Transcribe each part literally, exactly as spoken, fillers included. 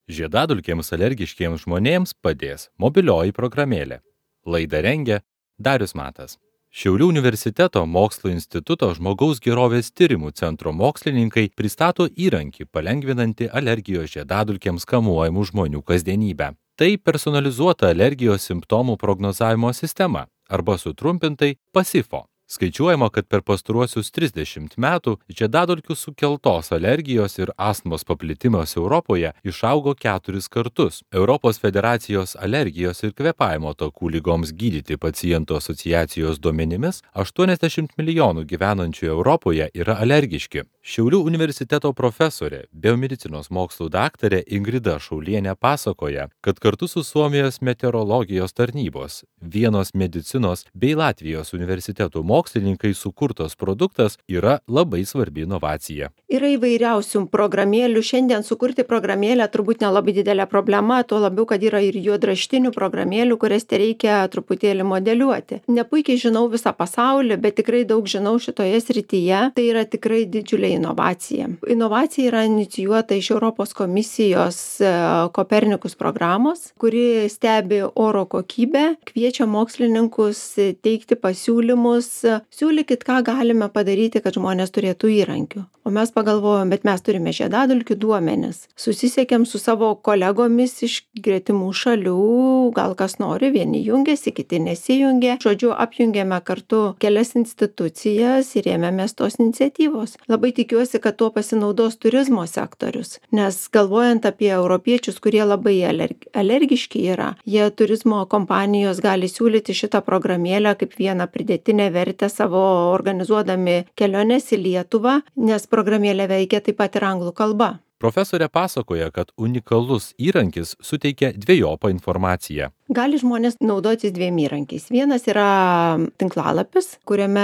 Žiedadulkėms alergiškiems žmonėms padės mobilioji programėlė. Laidą rengia Darius Matas. Šiaulių universiteto Mokslo instituto žmogaus gerovės tyrimų centro mokslininkai pristato įrankį palengvinantį alergijos žiedadulkėms kamuojamų žmonių kasdienybę. Tai personalizuota alergijos simptomų prognozavimo sistema arba sutrumpintai PASIFO. Skaičiuojama, kad per pastaruosius trisdešimt metų žiedadulkių sukeltos alergijos ir astmos paplitimas Europoje išaugo keturis kartus. Europos federacijos alergijos ir kvėpavimo takų lygoms gydyti pacientų asociacijos duomenimis aštuoniasdešimt milijonų gyvenančių Europoje yra alergiški. Šiaulių universiteto profesorė, biomedicinos mokslų daktarė Ingrida Šaulienė pasakoja, kad kartu su Suomijos meteorologijos tarnybos, Vienos medicinos bei Latvijos universitetų mokslininkai sukurtas produktas yra labai svarbi inovacija. Yra įvairiausių programėlių. Šiandien sukurti programėlę turbūt nelabai didelė problema, tuo labiau, kad yra ir juodraštinių programėlių, kurias te reikia truputėlį modeliuoti. Nepuikiai žinau visą pasaulį, bet tikrai daug žinau šitoje srityje. Tai yra tikrai didžiulė inovacija. Inovacija yra inicijuota iš Europos komisijos Kopernikus programos, kuri stebi oro kokybę, kviečia mokslininkus teikti pasiūlymus, siūlykit, ką galime padaryti, kad žmonės turėtų įrankių. O mes pagalvojom, bet mes turime žiedadulkių duomenis. Susisiekėm su savo kolegomis iš gretimų šalių, gal kas nori, vieni jungiasi, kiti nesijungia. Žodžiu, apjungėme kartu kelias institucijas ir ėmėmės tos iniciatyvos. Labai tikiuosi, kad tuo pasinaudos turizmo sektorius, nes galvojant apie europiečius, kurie labai alerg- alergiški yra, jie turizmo kompanijos gali siūlyti šitą programėlę kaip vieną pridėtinę vertę savo organizuodami keliones į Lietuvą, nes programėlė veikia taip pat ir anglų kalba. Profesorė pasakoja, kad unikalus įrankis suteikia dvejopą informaciją. Gali žmonės naudotis dviem įrankiais. Vienas yra tinklalapis, kuriame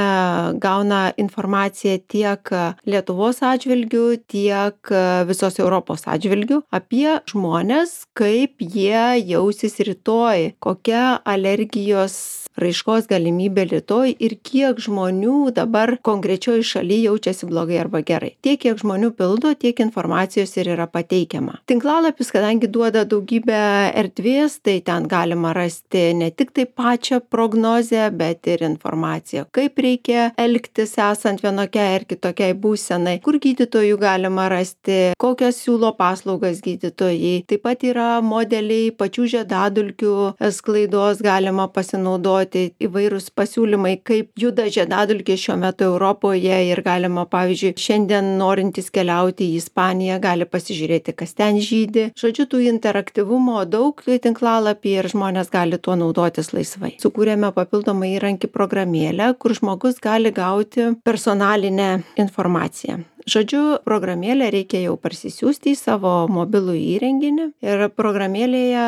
gauna informaciją tiek Lietuvos atžvilgių, tiek visos Europos atžvilgių apie žmonės, kaip jie jausis rytoj, kokia alergijos raiškos galimybė rytoj ir kiek žmonių dabar konkrečioj šalyje jaučiasi blogai arba gerai. Tiek, kiek žmonių pildo, tiek informacijos ir yra pateikiama. Tinklalapis, kadangi duoda daugybę erdvės, tai ten galima rasti ne tik tai pačią prognozę, bet ir informaciją, kaip reikia elgtis esant vienokiai ar kitokiai būsenai, kur gydytojų galima rasti, kokias siūlo paslaugas gydytojai. Taip pat yra modeliai pačių žiedadulkių sklaidos, galima pasinaudoti įvairūs pasiūlymai, kaip juda žiedadulkės šiuo metu Europoje ir galima, pavyzdžiui, šiandien norintys keliauti į Ispaniją, gali pasižiūrėti, kas ten žydi. Žodžiu, tų interaktyvumo daug tinklalapyje ir žmonės gali tuo naudotis laisvai. Sukūrėme papildomą įrankį programėlę, kur žmogus gali gauti personalinę informaciją. Žodžiu, programėlę reikia jau parsisiųsti į savo mobilų įrenginį ir programėlėje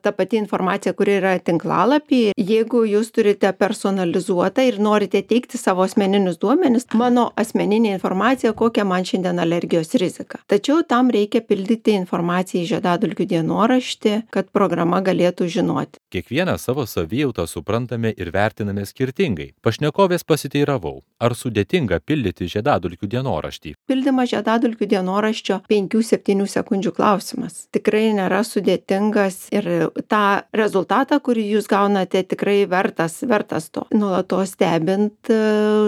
ta pati informacija, kuri yra tinklalapį, jeigu jūs turite personalizuotą ir norite teikti savo asmeninius duomenis, mano asmeninė informacija, kokia man šiandien alergijos rizika. Tačiau tam reikia pildyti informaciją į žiedadulkių dienoraštį, kad programa galėtų žinoti. Kiekvieną savo savijautą suprantame ir vertiname skirtingai. Pašnekovės pasiteiravau, ar sudėtinga pildyti žiedadulkių dienoraštį. Pildymas žiedadulkių dienoraščio penkių septynių sekundžių klausimas. Tikrai nėra sudėtingas ir tą rezultatą, kurį jūs gaunate, tikrai vertas, vertas to. Nuolatos stebint,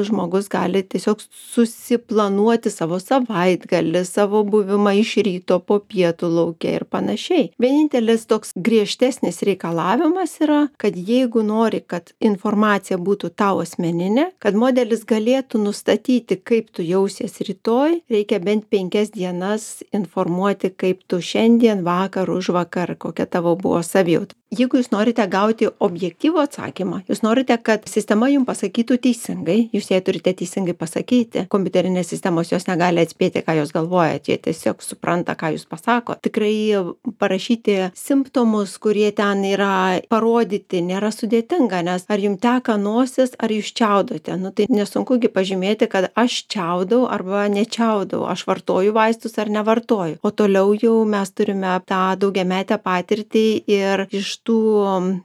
žmogus gali tiesiog susiplanuoti savo savaitgalį, savo buvimą iš ryto po pietų lauke ir panašiai. Vienintelis toks griežtesnis reikalavimas yra, kad jeigu nori, kad informacija būtų tau asmeninė, kad modelis galėtų nustatyti, kaip tu jausies rytoj, reikia bent penkias dienas informuoti, kaip tu šiandien, vakar, užvakar, kokia tavo buvo savijauta. Jeigu jūs norite gauti objektyvų atsakymą, jūs norite, kad sistema jums pasakytų teisingai, jūs jai turite teisingai pasakyti. Kompiuterinės sistemos jos negali atspėti, ką jūs galvojate, jie tiesiog supranta, ką jūs pasako. Tikrai parašyti simptomus, kurie ten yra parodyti, nėra sudėtinga, nes ar jums teka nosis, ar jūs čiaudote. Nu, tai nesunkugi pažymėti, kad aš čiaudau arba nečiaudau, aš vartoju vaistus ar nevartoju. O toliau jau mes turime tą daugiametę patirtį ir iš tų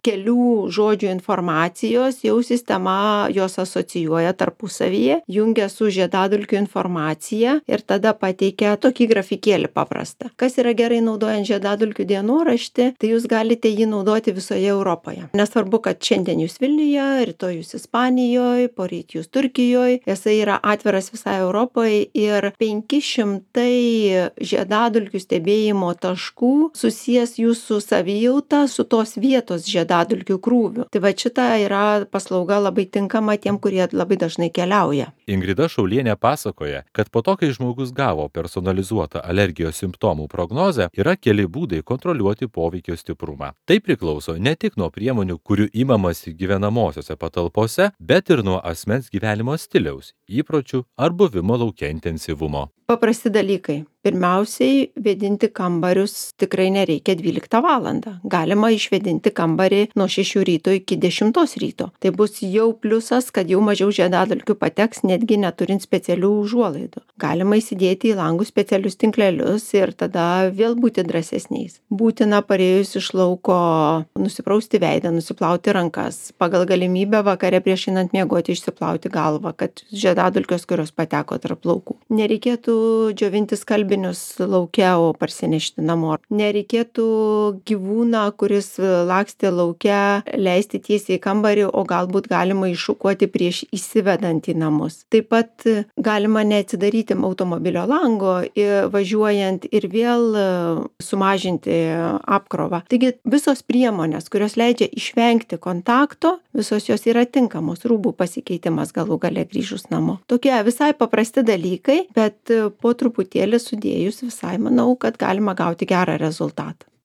kelių žodžių informacijos jau sistema jos asocijuoja tarpusavyje, jungia su žiedadulkių informacija ir tada pateikia tokį grafikėlį paprastą. Kas yra gerai naudojant žiedadulkių dienoraštį, tai jūs galite jį naudoti visoje Europoje. Nesvarbu, kad šiandien jūs Vilniuje, rytoj jūs Ispanijoje, poryt jūs Turkijoje, jisai yra atviras visai Europoje ir penki šimtai žiedadulkių stebėjimo taškų susijęs jūsų savijautą su tos vietos žiedadulkių krūviu. Tai va šita yra paslauga labai tinkama tiem, kurie labai dažnai keliauja. Ingrida Šaulienė pasakoja, kad po to, kai žmogus gavo personalizuotą alergijos simptomų prognozę, yra keli būdai kontroliuoti poveikio stiprumą. Tai priklauso ne tik nuo priemonių, kurių imamasi gyvenamosiose patalpose, bet ir nuo asmens gyvenimo stiliaus, įpročių ar buvimo lauke intensyvumo. Paprasti dalykai. Pirmiausiai, vėdinti kambarius tikrai nereikia dvyliktą valandą. Galima išvėdinti kambarį nuo šešių ryto iki dešimtos ryto. Tai bus jau pliusas, kad jau mažiau žiedadulkių pateks, netgi neturint specialių užuolaidų. Galima įsidėti į langus specialius tinklelius ir tada vėl būti drąsesniais. Būtina parėjus iš lauko nusiprausti veidą, nusiplauti rankas. Pagal galimybę vakare prieš einant miegoti išsiplauti galvą, kad žiedadulkės, kurios pateko tarp plaukų. Nereikėtų džiovinti skalbinius lauke, o parsinešti namo. Nereikėtų gyvūną, kuris lakstė lauke, leisti tiesiai į kambarį, o galbūt galima iššukuoti prieš įsivedant į namus. Taip pat galima neatsidaryti automobilio lango važiuojant ir vėl sumažinti apkrovą. Taigi visos priemonės, kurios leidžia išvengti kontakto, visos jos yra tinkamos. Rūbų pasikeitimas galų gale grįžus namo. Tokie visai paprasti dalykai, bet po truputėlį sudėjus visai manau, kad galima gauti gerą rezultatą.